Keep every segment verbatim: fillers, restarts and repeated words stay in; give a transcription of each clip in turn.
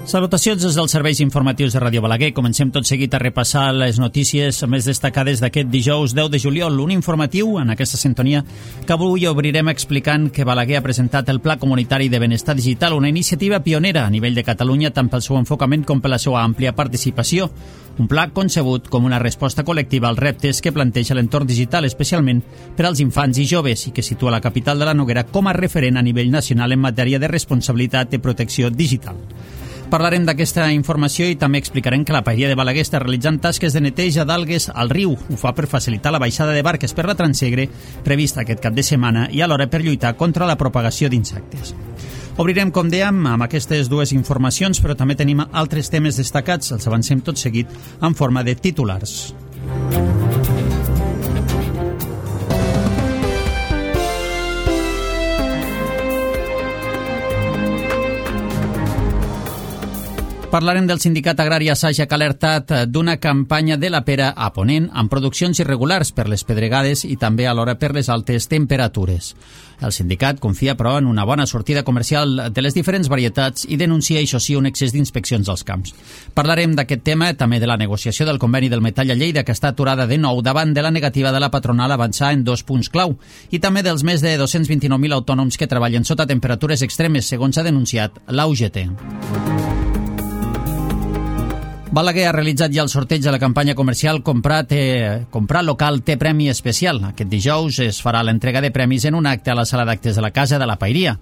Salutacions des dels serveis informatius de Ràdio Balaguer. Comencem tot seguit a repassar les notícies més destacades d'aquest dijous deu de juliol. Un informatiu en aquesta sintonia que avui obrirem explicant que Balaguer ha presentat el Pla Comunitari de Benestar Digital, una iniciativa pionera a nivell de Catalunya tant pel seu enfocament com per la seva àmplia participació. Un pla concebut com una resposta col·lectiva als reptes que planteja l'entorn digital, especialment per als infants i joves, i que situa la capital de la Noguera com a referent a nivell nacional en matèria de responsabilitat i protecció digital. Parlarem d'aquesta informació i també explicarem que la Paeria de Balaguer està realitzant tasques de neteja d'algues al riu. Ho fa per facilitar la baixada de barques per la Transegre, prevista aquest cap de setmana, i alhora per lluitar contra la propagació d'insectes. Obrirem, com dèiem, amb aquestes dues informacions, però també tenim altres temes destacats. Els avancem tot seguit en forma de titulars. Parlarem del sindicat agrari Asaja, que ha alertat d'una campanya de la pera a Ponent amb produccions irregulars per les pedregades i també alhora per les altes temperatures. El sindicat confia, però, en una bona sortida comercial de les diferents varietats i denuncia, això sí, un excés d'inspeccions als camps. Parlarem d'aquest tema, també de la negociació del conveni del metall a Lleida, que està aturada de nou davant de la negativa de la patronal a avançar en dos punts clau, i també dels més de dos-cents vint-i-nou mil autònoms que treballen sota temperatures extremes, segons ha denunciat la U G T. Balaguer ha realitzat ja el sorteig de la campanya comercial Comprar, té, Comprar Local té Premi Especial. Aquest dijous es farà l'entrega de premis en un acte a la sala d'actes de la Casa de la Paeria.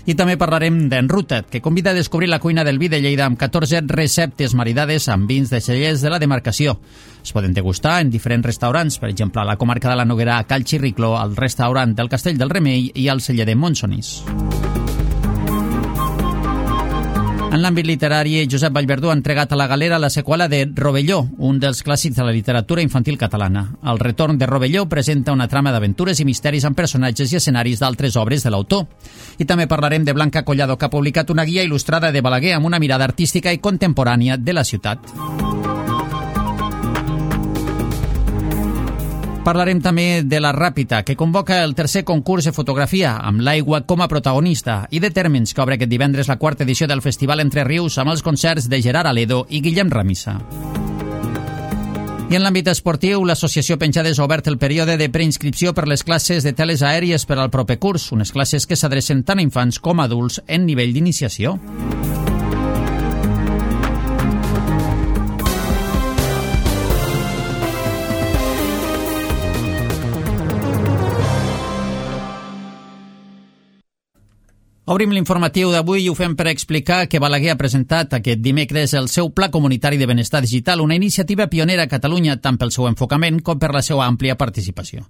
I també parlarem d'Enruta't, que convida a descobrir la cuina del vi de Lleida amb catorze receptes maridades amb vins de cellers de la demarcació. Es poden degustar en diferents restaurants, per exemple a la comarca de la Noguera, a Cal Xirricló, al restaurant del Castell del Remei i al celler de Montsonís. En l'àmbit literari, Josep Vallverdú ha entregat a la Galera la seqüela de Rovelló, un dels clàssics de la literatura infantil catalana. El retorn de Rovelló presenta una trama d'aventures i misteris amb personatges i escenaris d'altres obres de l'autor. I també parlarem de Blanca Collado, que ha publicat una guia il·lustrada de Balaguer amb una mirada artística i contemporània de la ciutat. Parlarem també de la Ràpita, que convoca el tercer concurs de fotografia amb l'aigua com a protagonista, i de Térmens, que obre aquest divendres la quarta edició del Festival Entre Rius amb els concerts de Gerard Aledo i Guillem Ramissa. I en l'àmbit esportiu, l'associació Penjades ha obert el període de preinscripció per les classes de teles aèries per al proper curs, unes classes que s'adrecen tant a infants com a adults en nivell d'iniciació. Obrim l'informatiu d'avui i ho fem per explicar que Balaguer ha presentat aquest dimecres el seu Pla Comunitari de Benestar Digital, una iniciativa pionera a Catalunya tant pel seu enfocament com per la seva àmplia participació.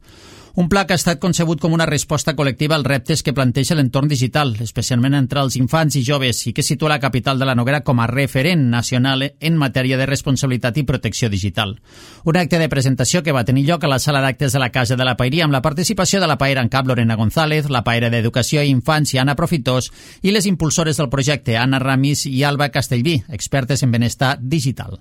Un pla que ha estat concebut com una resposta col·lectiva als reptes que planteja l'entorn digital, especialment entre els infants i joves, i que situa la capital de la Noguera com a referent nacional en matèria de responsabilitat i protecció digital. Un acte de presentació que va tenir lloc a la sala d'actes de la Casa de la Paeria amb la participació de la paera en cap Lorena González, la paera d'Educació i Infància Anna Profitós i les impulsores del projecte Anna Ramis i Alba Castellví, expertes en benestar digital.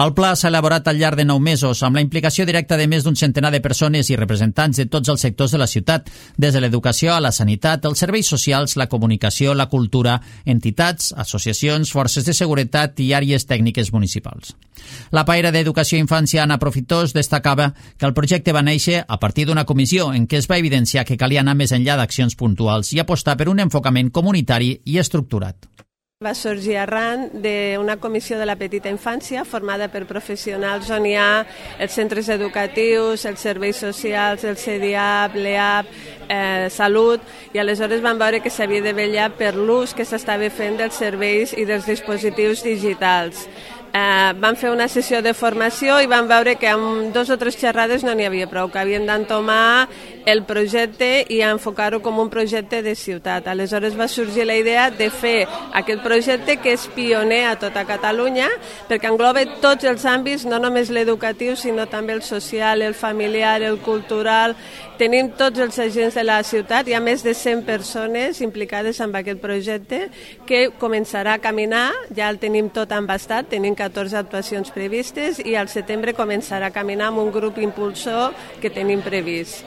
El pla s'ha elaborat al llarg de nou mesos amb la implicació directa de més d'un centenar de persones i representants de tots els sectors de la ciutat, des de l'educació a la sanitat, els serveis socials, la comunicació, la cultura, entitats, associacions, forces de seguretat i àrees tècniques municipals. La paera d'Educació i Infància Anna Profitós destacava que el projecte va néixer a partir d'una comissió en què es va evidenciar que calia anar més enllà d'accions puntuals i apostar per un enfocament comunitari i estructurat. Va sorgir arran d'una comissió de la petita infància formada per professionals on hi ha els centres educatius, els serveis socials, el C D A P, l'E A P, eh, Salut, i aleshores van veure que s'havia de vetllar per l'ús que s'estava fent dels serveis i dels dispositius digitals. Eh, van fer una sessió de formació i van veure que amb dos o tres xerrades no n'hi havia prou, que havien d'entomar el projecte i enfocar-ho com un projecte de ciutat. Aleshores va sorgir la idea de fer aquest projecte que és pioner a tota Catalunya perquè engloba tots els àmbits, no només l'educatiu sinó també el social, el familiar, el cultural. Tenim tots els agents de la ciutat, hi ha més de cent persones implicades en aquest projecte que començarà a caminar, ja el tenim tot embastat, tenim catorze actuacions previstes i al setembre començarà a caminar amb un grup impulsor que tenim previst.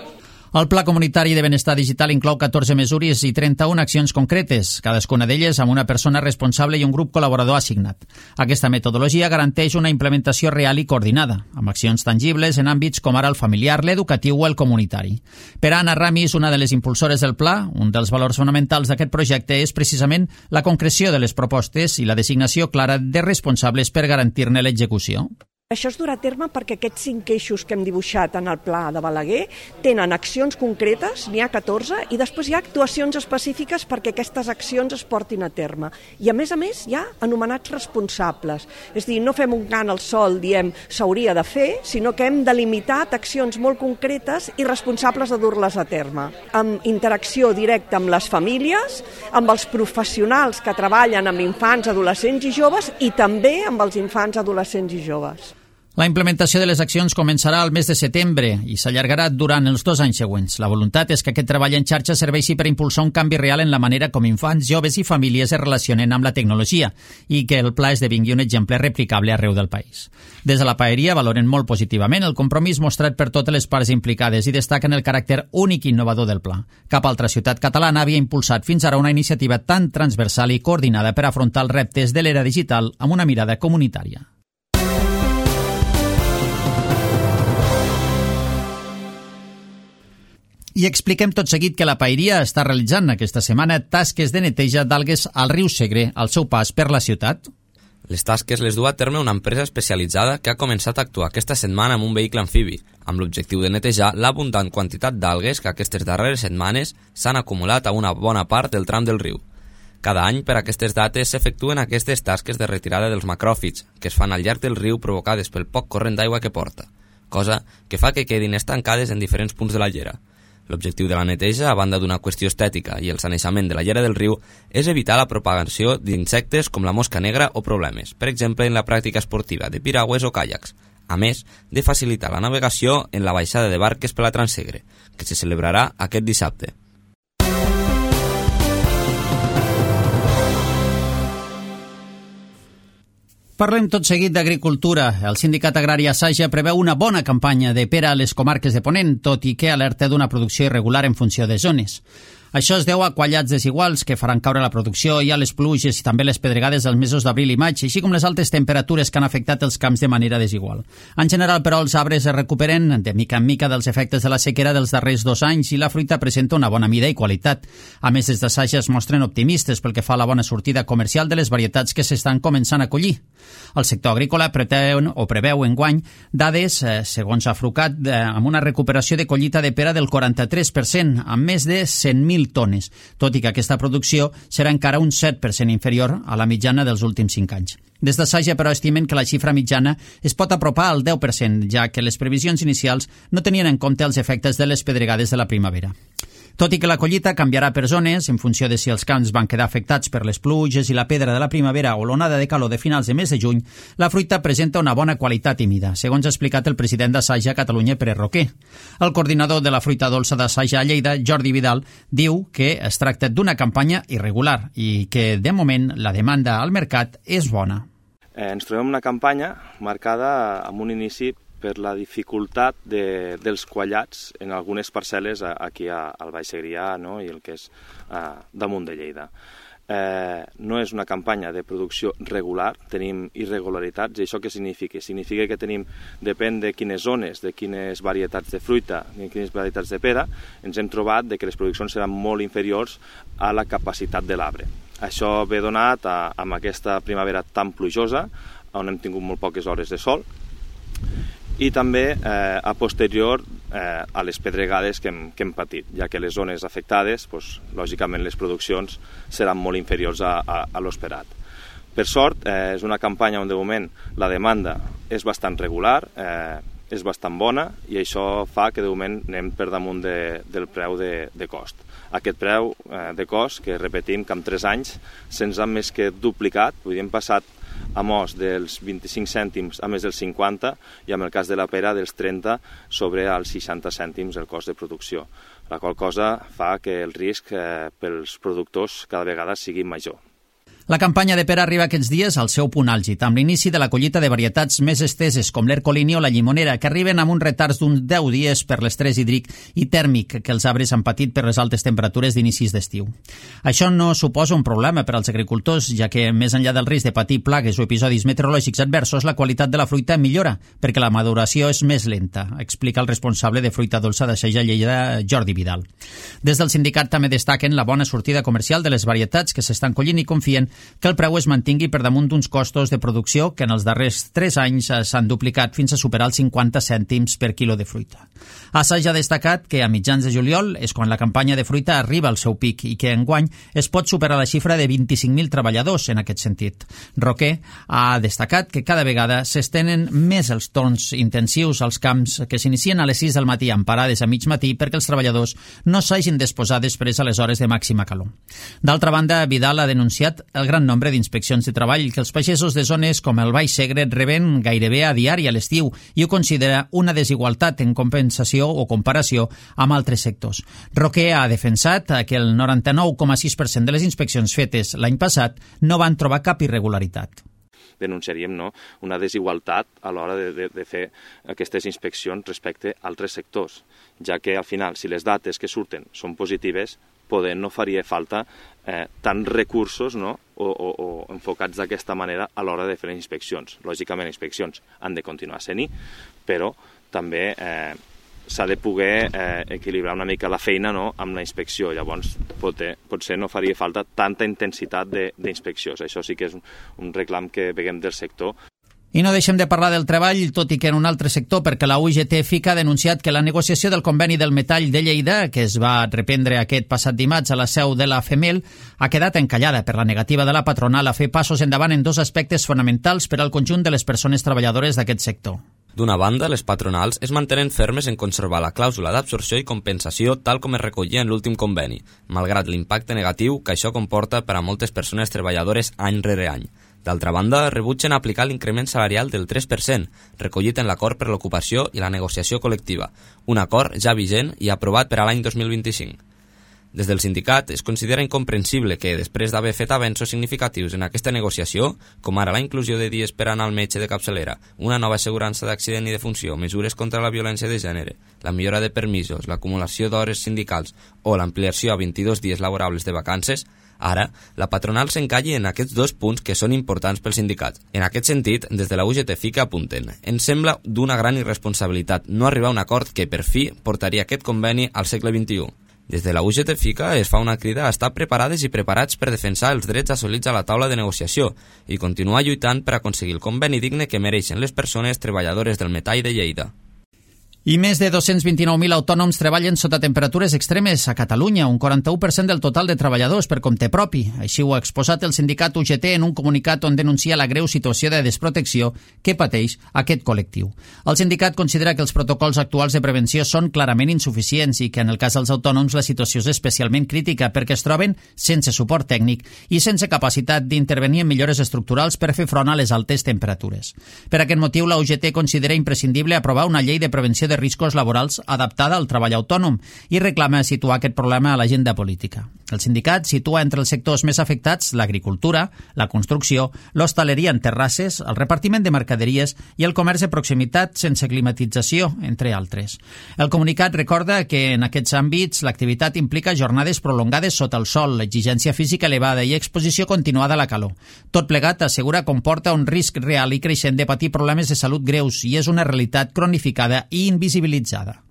El Pla Comunitari de Benestar Digital inclou catorze mesures i trenta-una accions concretes, cadascuna d'elles amb una persona responsable i un grup col·laborador assignat. Aquesta metodologia garanteix una implementació real i coordinada, amb accions tangibles en àmbits com ara el familiar, l'educatiu o el comunitari. Per a Anna Ramis, una de les impulsores del pla, un dels valors fonamentals d'aquest projecte és precisament la concreció de les propostes i la designació clara de responsables per garantir-ne l'execució. Això es durà a terme perquè aquests cinc eixos que hem dibuixat en el pla de Balaguer tenen accions concretes, n'hi ha catorze, i després hi ha actuacions específiques perquè aquestes accions es portin a terme. I a més a més hi ha anomenats responsables. És a dir, no fem un cant al sol, diem s'hauria de fer, sinó que hem delimitat accions molt concretes i responsables de dur-les a terme. Amb interacció directa amb les famílies, amb els professionals que treballen amb infants, adolescents i joves i també amb els infants, adolescents i joves. La implementació de les accions començarà al mes de setembre i s'allargarà durant els dos anys següents. La voluntat és que aquest treball en xarxa serveixi per impulsar un canvi real en la manera com infants, joves i famílies es relacionen amb la tecnologia i que el pla esdevingui un exemple replicable arreu del país. Des de la Paeria valoren molt positivament el compromís mostrat per totes les parts implicades i destaquen el caràcter únic i innovador del pla. Cap altra ciutat catalana havia impulsat fins ara una iniciativa tan transversal i coordinada per afrontar els reptes de l'era digital amb una mirada comunitària. I expliquem tot seguit que la Paeria està realitzant aquesta setmana tasques de neteja d'algues al riu Segre al seu pas per la ciutat. Les tasques les du a terme una empresa especialitzada que ha començat a actuar aquesta setmana amb un vehicle amfibi, amb l'objectiu de netejar l'abundant quantitat d'algues que aquestes darreres setmanes s'han acumulat a una bona part del tram del riu. Cada any, per aquestes dates, s'efectuen aquestes tasques de retirada dels macròfits, que es fan al llarg del riu provocades pel poc corrent d'aigua que porta, cosa que fa que quedin estancades en diferents punts de la llera. L'objectiu de la neteja, a banda d'una qüestió estètica i el sanejament de la llera del riu, és evitar la propagació d'insectes com la mosca negra o problemes, per exemple en la pràctica esportiva de piragües o caiacs, a més de facilitar la navegació en la baixada de barques per la Transsegre, que se celebrarà aquest dissabte. Parlem tot seguit d'agricultura. El Sindicat Agrari Asaja preveu una bona campanya de pera a les comarques de Ponent, tot i que alerta d'una producció irregular en funció de zones. Això es deu a quallats desiguals que faran caure la producció i a les pluges i també les pedregades dels mesos d'abril i maig, així com les altes temperatures que han afectat els camps de manera desigual. En general, però, els arbres es recuperen de mica en mica dels efectes de la sequera dels darrers dos anys i la fruita presenta una bona mida i qualitat. A més, des d'Asaja es mostren optimistes pel que fa a la bona sortida comercial de les varietats que s'estan començant a collir. El sector agrícola preteu o preveu enguany dades, eh, segons Afrucat, eh, amb una recuperació de collita de pera del quaranta-tres per cent, amb més de cent mil tones, tot i que aquesta producció serà encara un set per cent inferior a la mitjana dels últims cinc anys. Des d'Asaja, però, estimen que la xifra mitjana es pot apropar al deu per cent, ja que les previsions inicials no tenien en compte els efectes de les pedregades de la primavera. Tot i que la collita canviarà per zones, en funció de si els camps van quedar afectats per les pluges i la pedra de la primavera o l'onada de calor de finals de mes de juny, la fruita presenta una bona qualitat i mida, segons ha explicat el president d'Asaja a Catalunya, Pere Roquer. El coordinador de la fruita dolça d'Asaja a Lleida, Jordi Vidal, diu que es tracta d'una campanya irregular i que, de moment, la demanda al mercat és bona. Eh, ens trobem una campanya marcada amb un inici per la dificultat de, dels quallats en algunes parcel·les aquí al Baix Segrià, no? I el que és eh, damunt de Lleida. Eh, no és una campanya de producció regular, tenim irregularitats, i això què significa? Significa que tenim, depèn de quines zones, de quines varietats de fruita, de quines varietats de pera, ens hem trobat de que les produccions seran molt inferiors a la capacitat de l'arbre. Això ve donat a, amb aquesta primavera tan plujosa, on hem tingut molt poques hores de sol, i també eh, a posterior eh, a les pedregades que hem, que hem patit, ja que les zones afectades, doncs, lògicament les produccions seran molt inferiors a, a, a l'esperat. Per sort, eh, és una campanya on de moment la demanda és bastant regular, eh, és bastant bona, i això fa que de moment anem per damunt de, del preu de, de cost. Aquest preu eh, de cost, que repetim que en tres anys se'ns ha més que duplicat, vull dir, hem passat a mos dels vint-i-cinc cèntims a més dels cinquanta, i en el cas de la pera dels trenta sobre els seixanta cèntims el cost de producció, la qual cosa fa que el risc eh, pels productors cada vegada sigui major. La campanya de pera arriba aquests dies al seu punt àlgid, amb l'inici de la collita de varietats més esteses com l'Ercolini o la Llimonera, que arriben amb uns retards d'uns deu dies per l'estrès hídric i tèrmic que els arbres han patit per les altes temperatures d'inicis d'estiu. Això no suposa un problema per als agricultors, ja que, més enllà del risc de patir plagues o episodis meteorològics adversos, la qualitat de la fruita millora, perquè la maduració és més lenta, explica el responsable de fruita dolça de Seja Lleida, Jordi Vidal. Des del sindicat també destaquen la bona sortida comercial de les varietats que s'estan collint i confien que el preu es mantingui per damunt d'uns costos de producció que en els darrers tres anys s'han duplicat fins a superar els cinquanta cèntims per quilo de fruita. Assaig ha destacat que a mitjans de juliol és quan la campanya de fruita arriba al seu pic i que enguany es pot superar la xifra de vint-i-cinc mil treballadors en aquest sentit. Roquer ha destacat que cada vegada s'estenen més els torns intensius als camps que s'inicien a les sis del matí amb parades a mig matí perquè els treballadors no s'hagin d'exposar després a les hores de màxima calor. D'altra banda, Vidal ha denunciat el gran nombre d'inspeccions de treball que els pagesos de zones com el Baix Segre reben gairebé a diari a l'estiu i ho considera una desigualtat en compensació o comparació amb altres sectors. Roquer ha defensat que el noranta-nou coma sis per cent de les inspeccions fetes l'any passat no van trobar cap irregularitat. Denunciaríem no, una desigualtat a l'hora de, de, de fer aquestes inspeccions respecte a altres sectors, ja que al final, si les dates que surten són positives, poder no faria falta eh, tants recursos no? o, o, o enfocats d'aquesta manera a l'hora de fer les inspeccions. Lògicament, les inspeccions han de continuar sent-hi, però també eh, s'ha de poder eh, equilibrar una mica la feina no? amb la inspecció. Llavors, potser, potser no faria falta tanta intensitat d'inspeccions. Això sí que és un, un reclam que veiem del sector. I no deixem de parlar del treball, tot i que en un altre sector, perquè la U G T F I C A ha denunciat que la negociació del conveni del metall de Lleida, que es va reprendre aquest passat dimarts a la seu de la FEMEL, ha quedat encallada per la negativa de la patronal a fer passos endavant en dos aspectes fonamentals per al conjunt de les persones treballadores d'aquest sector. D'una banda, les patronals es mantenen fermes en conservar la clàusula d'absorció i compensació tal com es recollia en l'últim conveni, malgrat l'impacte negatiu que això comporta per a moltes persones treballadores any rere any. D'altra banda, rebutgen aplicar l'increment salarial del tres per cent, recollit en l'acord per l'ocupació i la negociació col·lectiva, un acord ja vigent i aprovat per a l'any dos mil vint-i-cinc. Des del sindicat es considera incomprensible que, després d'haver fet avenços significatius en aquesta negociació, com ara la inclusió de dies per anar al metge de capçalera, una nova assegurança d'accident i defunció, mesures contra la violència de gènere, la millora de permisos, l'acumulació d'hores sindicals o l'ampliació a vint-i-dos dies laborables de vacances, ara, la patronal s'encalli en aquests dos punts que són importants pels sindicats. En aquest sentit, des de la U G T F I C A apunten: ens sembla d'una gran irresponsabilitat no arribar a un acord que, per fi, portaria aquest conveni al segle vint-i-u. Des de la U G T F I C A es fa una crida a estar preparades i preparats per defensar els drets assolits a la taula de negociació i continuar lluitant per aconseguir el conveni digne que mereixen les persones treballadores del metall de Lleida. I més de dos-cents vint-i-nou mil autònoms treballen sota temperatures extremes a Catalunya, un quaranta-u per cent del total de treballadors per compte propi. Així ho ha exposat el sindicat U G T en un comunicat on denuncia la greu situació de desprotecció que pateix aquest col·lectiu. El sindicat considera que els protocols actuals de prevenció són clarament insuficients i que en el cas dels autònoms la situació és especialment crítica perquè es troben sense suport tècnic i sense capacitat d'intervenir en millores estructurals per fer front a les altes temperatures. Per aquest motiu, la U G T considera imprescindible aprovar una llei de prevenció de de riscos laborals adaptada al treball autònom i reclama situar aquest problema a l'agenda política. El sindicat situa entre els sectors més afectats l'agricultura, la construcció, l'hostaleria en terrasses, el repartiment de mercaderies i el comerç de proximitat sense climatització, entre altres. El comunicat recorda que en aquests àmbits l'activitat implica jornades prolongades sota el sol, l'exigència física elevada i exposició continuada a la calor. Tot plegat, assegura, comporta un risc real i creixent de patir problemes de salut greus i és una realitat cronificada i invisibilitzada.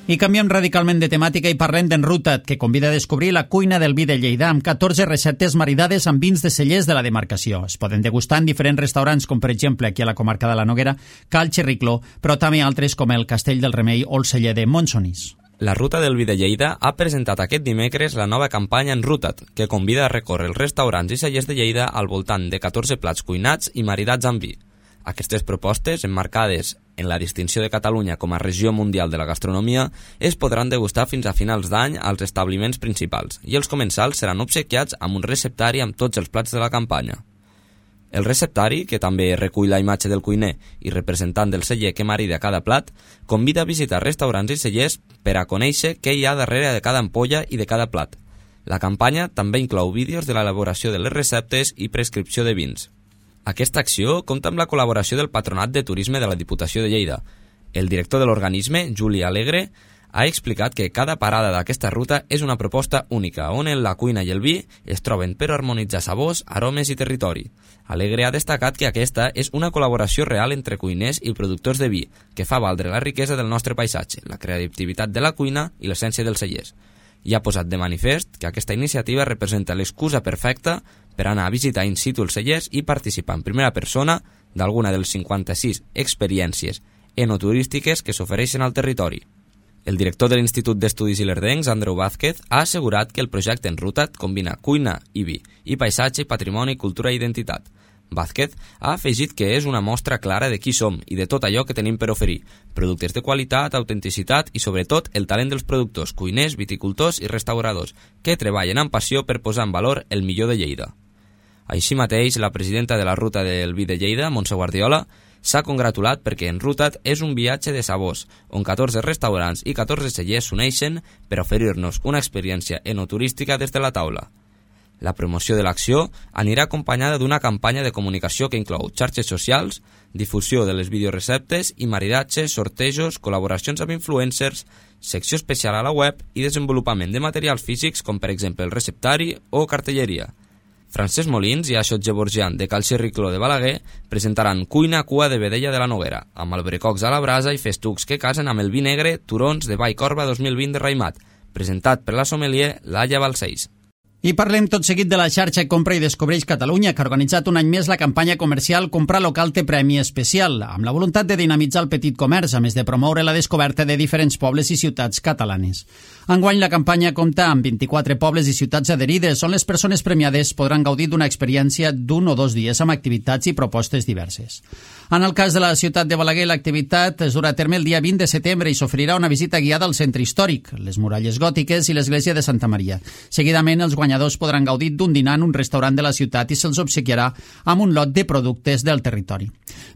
I canviem radicalment de temàtica i parlem d'en Rutat, que convida a descobrir la cuina del vi de Lleida amb catorze receptes maridades amb vins de cellers de la demarcació. Es poden degustar en diferents restaurants, com per exemple aquí a la comarca de la Noguera, Cal Xerricló, però també altres com el Castell del Remei o el celler de Montsonís. La Ruta del Vi de Lleida ha presentat aquest dimecres la nova campanya en Rutat, que convida a recórrer els restaurants i cellers de Lleida al voltant de catorze plats cuinats i maridats amb vi. Aquestes propostes, emmarcades en la distinció de Catalunya com a regió mundial de la gastronomia, es podran degustar fins a finals d'any als establiments principals i els comensals seran obsequiats amb un receptari amb tots els plats de la campanya. El receptari, que també recull la imatge del cuiner i representant del celler que marida cada plat, convida a visitar restaurants i cellers per a conèixer què hi ha darrere de cada ampolla i de cada plat. La campanya també inclou vídeos de l'elaboració de les receptes i prescripció de vins. Aquesta acció compta amb la col·laboració del Patronat de Turisme de la Diputació de Lleida. El director de l'organisme, Juli Alegre, ha explicat que cada parada d'aquesta ruta és una proposta única, on la cuina i el vi es troben per harmonitzar sabors, aromes i territori. Alegre ha destacat que aquesta és una col·laboració real entre cuiners i productors de vi, que fa valdre la riquesa del nostre paisatge, la creativitat de la cuina i l'essència dels cellers. I ha posat de manifest que aquesta iniciativa representa l'excusa perfecta per anar a visitar in situ els cellers i participar en primera persona d'alguna de les cinquanta-sis experiències enoturístiques que s'ofereixen al territori. El director de l'Institut d'Estudis Ilerdencs, Andreu Vázquez, ha assegurat que el projecte Enruta't combina cuina i vi, i paisatge, patrimoni, cultura i identitat. Vázquez ha afegit que és una mostra clara de qui som i de tot allò que tenim per oferir, productes de qualitat, autenticitat i, sobretot, el talent dels productors, cuiners, viticultors i restauradors, que treballen amb passió per posar en valor el millor de Lleida. Així mateix, la presidenta de la Ruta del Vi de Lleida, Montse Guardiola, s'ha congratulat perquè Enruta't és un viatge de sabors, on catorze restaurants i catorze cellers s'uneixen per oferir-nos una experiència enoturística des de la taula. La promoció de l'acció anirà acompanyada d'una campanya de comunicació que inclou xarxes socials, difusió de les videoreceptes i maridatges, sortejos, col·laboracions amb influencers, secció especial a la web i desenvolupament de materials físics com per exemple el receptari o cartelleria. Francesc Molins i Axot Gevorgian de Cal Xerricló de Balaguer presentaran cuina cua de vedella de la Noguera, amb albrecocs a la brasa i festucs que casen amb el vi negre Turons de Vallcorba dos mil vint de Raimat, presentat per la sommelier Laia Balcells. I parlem tot seguit de la xarxa Compra i Descobreix Catalunya, que ha organitzat un any més la campanya comercial Comprar Local té Premi Especial, amb la voluntat de dinamitzar el petit comerç, a més de promoure la descoberta de diferents pobles i ciutats catalanes. Enguany la campanya compta amb vint-i-quatre pobles i ciutats adherides, on les persones premiades podran gaudir d'una experiència d'un o dos dies amb activitats i propostes diverses. En el cas de la ciutat de Balaguer, l'activitat es durà a terme el dia vint de setembre i s'oferirà una visita guiada al centre històric, les muralles gòtiques i l'església de Santa Maria. Seguidament, els guanyadors podran gaudir d'un dinar en un restaurant de la ciutat i se'ls obsequiarà amb un lot de productes del territori.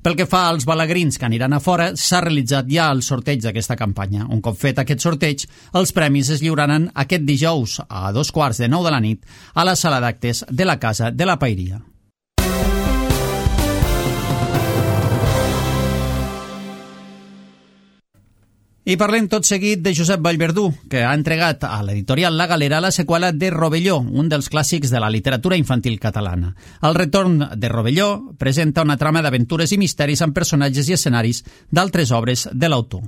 Pel que fa als balagrins que aniran a fora, s'ha realitzat ja el sorteig d'aquesta campanya. Un cop fet aquest sorteig, els premis es lliuraran aquest dijous a dos quarts de nou de la nit a la sala d'actes de la Casa de la Paeria. I parlem tot seguit de Josep Vallverdú, que ha entregat a l'editorial La Galera la seqüela de Rovelló, un dels clàssics de la literatura infantil catalana. El retorn de Rovelló presenta una trama d'aventures i misteris amb personatges i escenaris d'altres obres de l'autor.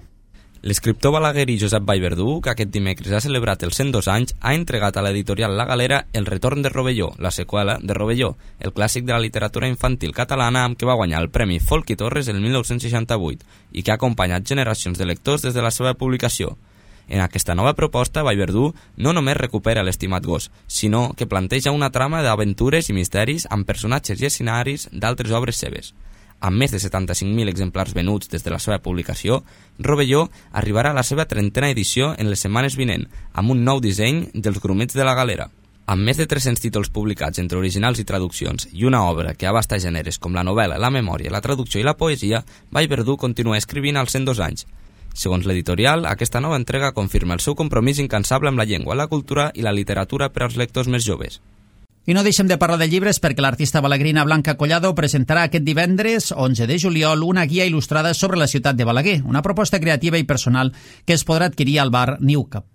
L'escriptor balaguerí Josep Vallverdú, que aquest dimecres ha celebrat els cent dos anys, ha entregat a l'editorial La Galera El retorn de Rovelló, la seqüela de Rovelló, el clàssic de la literatura infantil catalana amb què va guanyar el Premi Folk i Torres el mil nou-cents seixanta-vuit i que ha acompanyat generacions de lectors des de la seva publicació. En aquesta nova proposta, Vallverdú no només recupera l'estimat gos, sinó que planteja una trama d'aventures i misteris amb personatges i escenaris d'altres obres seves. Amb més de setanta-cinc mil exemplars venuts des de la seva publicació, Rovelló arribarà a la seva trentena edició en les setmanes vinent, amb un nou disseny dels grumets de la Galera. Amb més de tres-cents títols publicats entre originals i traduccions i una obra que abasta gèneres com la novel·la, la memòria, la traducció i la poesia, Vallverdú continua escrivint als cent dos anys. Segons l'editorial, aquesta nova entrega confirma el seu compromís incansable amb la llengua, la cultura i la literatura per als lectors més joves. I no deixem de parlar de llibres perquè l'artista balagrina Blanca Collado presentarà aquest divendres, onze de juliol, una guia il·lustrada sobre la ciutat de Balaguer, una proposta creativa i personal que es podrà adquirir al bar Newcap.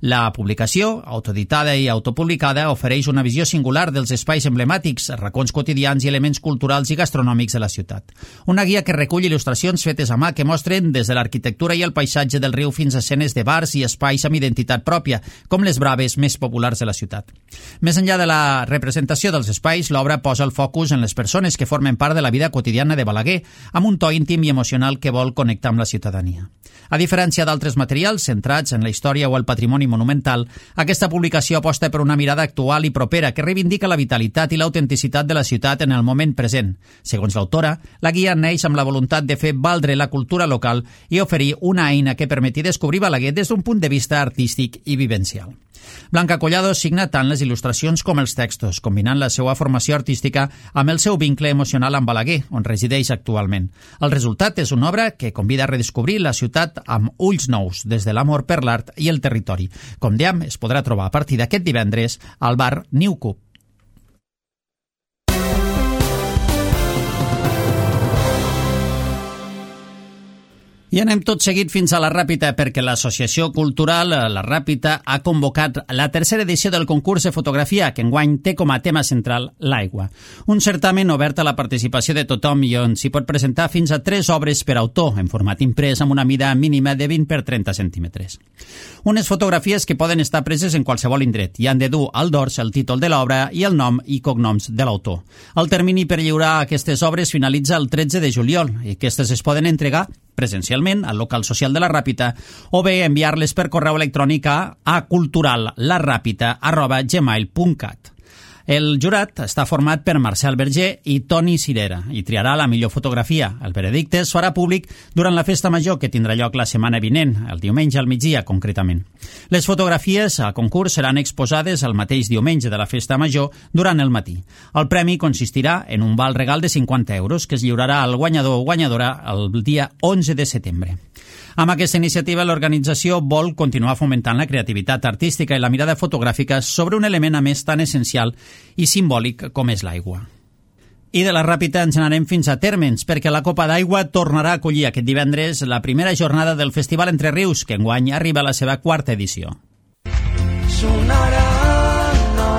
La publicació, autoeditada i autopublicada, ofereix una visió singular dels espais emblemàtics, racons quotidians i elements culturals i gastronòmics de la ciutat. Una guia que recull il·lustracions fetes a mà que mostren des de l'arquitectura i el paisatge del riu fins a escenes de bars i espais amb identitat pròpia, com les braves més populars de la ciutat. Més enllà de la representació dels espais, l'obra posa el focus en les persones que formen part de la vida quotidiana de Balaguer, amb un to íntim i emocional que vol connectar amb la ciutadania. A diferència d'altres materials centrats en la història o el patrimoni patrimoni monumental, aquesta publicació aposta per una mirada actual i propera que reivindica la vitalitat i l'autenticitat de la ciutat en el moment present. Segons l'autora, la guia neix amb la voluntat de fer valdre la cultura local i oferir una eina que permeti descobrir Balaguer des d'un punt de vista artístic i vivencial. Blanca Collado signa tant les il·lustracions com els textos, combinant la seva formació artística amb el seu vincle emocional amb Balaguer, on resideix actualment. El resultat és una obra que convida a redescobrir la ciutat amb ulls nous, des de l'amor per l'art i el territori. Com dèiem, es podrà trobar a partir d'aquest divendres al bar New Cup. I anem tot seguit fins a la Ràpita, perquè l'Associació Cultural La Ràpita ha convocat la tercera edició del concurs de fotografia, que enguany té com a tema central l'aigua. Un certamen obert a la participació de tothom i on s'hi pot presentar fins a tres obres per autor, en format imprès amb una mida mínima de vint per trenta centímetres. Unes fotografies que poden estar preses en qualsevol indret i han de dur al dors el títol de l'obra i el nom i cognoms de l'autor. El termini per lliurar aquestes obres finalitza el tretze de juliol i aquestes es poden entregar presencialment al local social de la Ràpita o bé enviar-les per correu electrònic a culturallarapita arroba gmail punt cat. El jurat està format per Marcel Berger i Toni Cirera i triarà la millor fotografia. El veredicte es farà públic durant la festa major que tindrà lloc la setmana vinent, el diumenge al migdia concretament. Les fotografies a concurs seran exposades el mateix diumenge de la festa major durant el matí. El premi consistirà en un val regal de cinquanta euros que es lliurarà al guanyador o guanyadora el dia onze de setembre. Amb aquesta iniciativa, l'organització vol continuar fomentant la creativitat artística i la mirada fotogràfica sobre un element a més tan essencial i simbòlic com és l'aigua. I de la Ràpita ens anarem fins a Térmens, perquè la Copa d'Aigua tornarà a acollir aquest divendres la primera jornada del Festival Entre Rius, que enguany arriba a la seva quarta edició. Sonarà, no,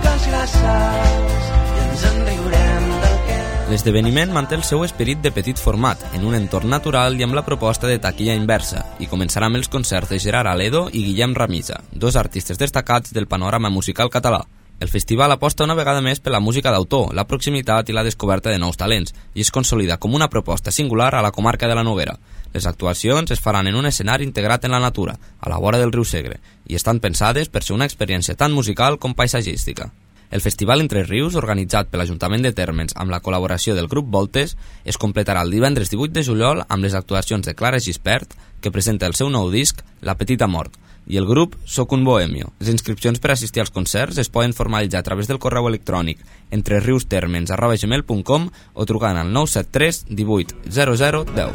quasi les salts, i ens en riurem del que... L'esdeveniment manté el seu esperit de petit format, en un entorn natural i amb la proposta de taquilla inversa, i començarà amb els concerts de Gerard Aledo i Guillem Ramisa, dos artistes destacats del panorama musical català. El festival aposta una vegada més per la música d'autor, la proximitat i la descoberta de nous talents, i es consolida com una proposta singular a la comarca de la Noguera. Les actuacions es faran en un escenari integrat en la natura, a la vora del riu Segre, i estan pensades per ser una experiència tant musical com paisatgística. El Festival Entre Rius, organitzat per l'Ajuntament de Térmens amb la col·laboració del grup Voltes, es completarà el divendres divuit de juliol amb les actuacions de Clara Gispert, que presenta el seu nou disc, La Petita Mort, i el grup Soc un Bohemio. Les inscripcions per assistir als concerts es poden formalitzar a través del correu electrònic entreriustermens arroba gmail punt com o trucant al nou set tres divuit zero zero deu.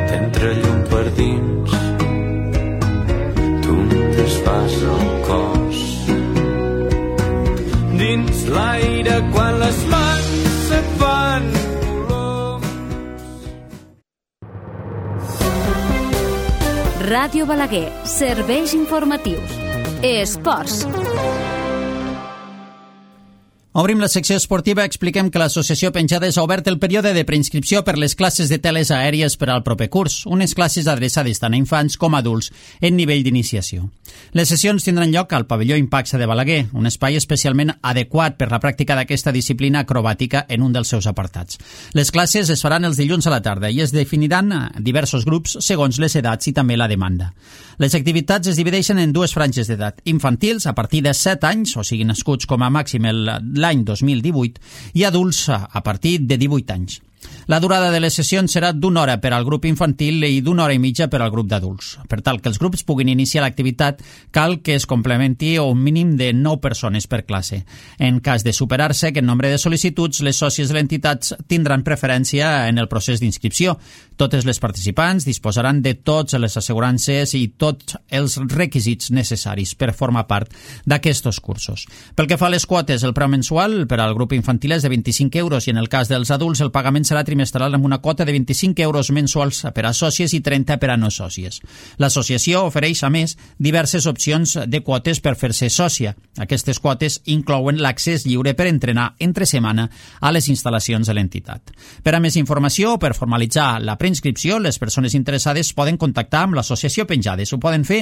T'entra llum per dins, tu em desfas el cos. Dins l'aire quan les mans se't fan colors. Ràdio Balaguer, serveis informatius. Esports. Obrim la secció esportiva, expliquem que l'Associació Penjades ha obert el període de preinscripció per les classes de teles aèries per al proper curs, unes classes adreçades tant a infants com a adults en nivell d'iniciació. Les sessions tindran lloc al pavelló Impaxa de Balaguer, un espai especialment adequat per la pràctica d'aquesta disciplina acrobàtica en un dels seus apartats. Les classes es faran els dilluns a la tarda i es definiran diversos grups segons les edats i també la demanda. Les activitats es divideixen en dues franges d'edat, infantils a partir de set anys, o sigui nascuts com a màxim l'any dos mil divuit, i adults a partir de divuit anys. La durada de les sessions serà d'una hora per al grup infantil i d'una hora i mitja per al grup d'adults. Per tal que els grups puguin iniciar l'activitat, cal que es complementi un mínim de nou persones per classe. En cas de superar-se aquest nombre de sol·licituds, les sòcies de l'entitat tindran preferència en el procés d'inscripció. Totes les participants disposaran de totes les assegurances i tots els requisits necessaris per formar part d'aquests cursos. Pel que fa a les quotes, el preu mensual per al grup infantil és de vint-i-cinc euros i en el cas dels adults el pagament serà trimestral amb una quota de vint-i-cinc euros mensuals per a sòcies i trenta per a no sòcies. L'associació ofereix, a més, diverses opcions de quotes per fer-se sòcia. Aquestes quotes inclouen l'accés lliure per entrenar entre setmana a les instal·lacions de l'entitat. Per a més informació o per formalitzar la preinscripció, les persones interessades poden contactar amb l'associació Penjades. Ho poden fer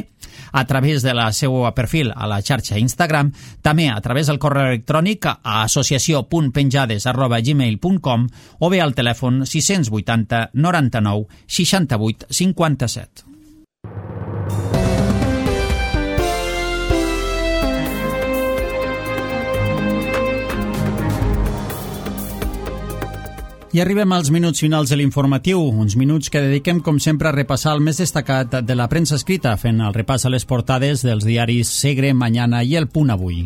a través de la seu perfil a la xarxa Instagram, també a través del correu electrònic a associació punt penjades arroba gmail punt com o bé al telèfon sis vuitanta noranta-nou seixanta-vuit cinquanta-set. I arribem als minuts finals de l'informatiu, uns minuts que dediquem, com sempre, a repassar el més destacat de la premsa escrita, fent el repàs a les portades dels diaris Segre, Mañana i El Punt Avui.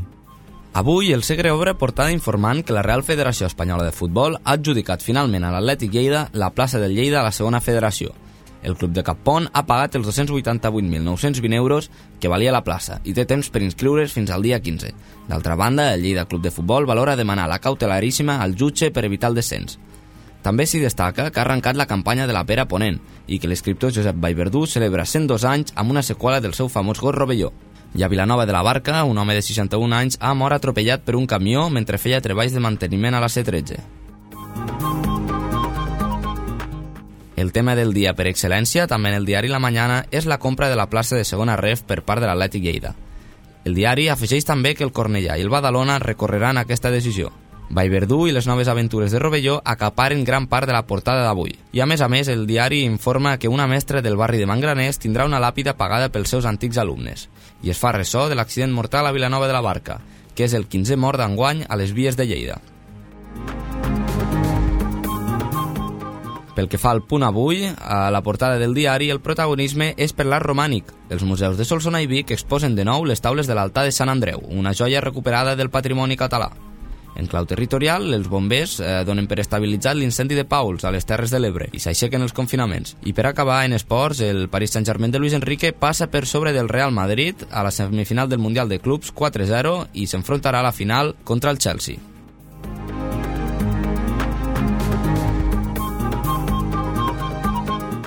Avui, el Segre obre portada informant que la Real Federació Espanyola de Futbol ha adjudicat finalment a l'Atlètic Lleida la plaça del Lleida a la segona federació. El club de Cappont ha pagat els dos-cents vuitanta-vuit mil nou-cents vint euros que valia la plaça i té temps per inscriure's fins al dia quinze. D'altra banda, el Lleida Club de Futbol valora demanar la cautelaríssima al jutge per evitar el descens. També s'hi destaca que ha arrencat la campanya de la pera ponent i que l'escriptor Josep Vallverdú celebra cent dos anys amb una seqüela del seu famós gos rovelló. I a Vilanova de la Barca, un home de seixanta-un anys ha mort atropellat per un camió mentre feia treballs de manteniment a la C tretze. El tema del dia per excel·lència, també en el diari La Mañana, és la compra de la plaça de segona ref per part de l'Atlètic Lleida. El diari afegeix també que el Cornellà i el Badalona recorreran aquesta decisió. Vallverdú i les noves aventures de Rovelló acaparen gran part de la portada d'avui. I a més a més, el diari informa que una mestra del barri de Mangraners tindrà una làpida pagada pels seus antics alumnes. I es fa ressò de l'accident mortal a Vilanova de la Barca, que és el quinzè mort d'enguany a les vies de Lleida. Pel que fa al Punt Avui, a la portada del diari, el protagonisme és per l'art romànic. Els museus de Solsona i Vic exposen de nou les taules de l'altar de Sant Andreu, una joia recuperada del patrimoni català. En clau territorial, els bombers eh, donen per estabilitzat l'incendi de Pauls a les Terres de l'Ebre i s'aixequen els confinaments. I per acabar, en esports, el Paris Saint-Germain de Luis Enrique passa per sobre del Real Madrid a la semifinal del Mundial de Clubs quatre zero i s'enfrontarà a la final contra el Chelsea.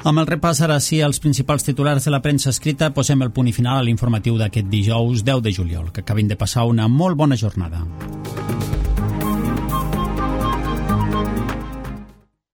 Amb el repàs ara sí als principals titulars de la premsa escrita, posem el punt i final a l'informatiu d'aquest dijous deu de juliol. Que acabin de passar una molt bona jornada.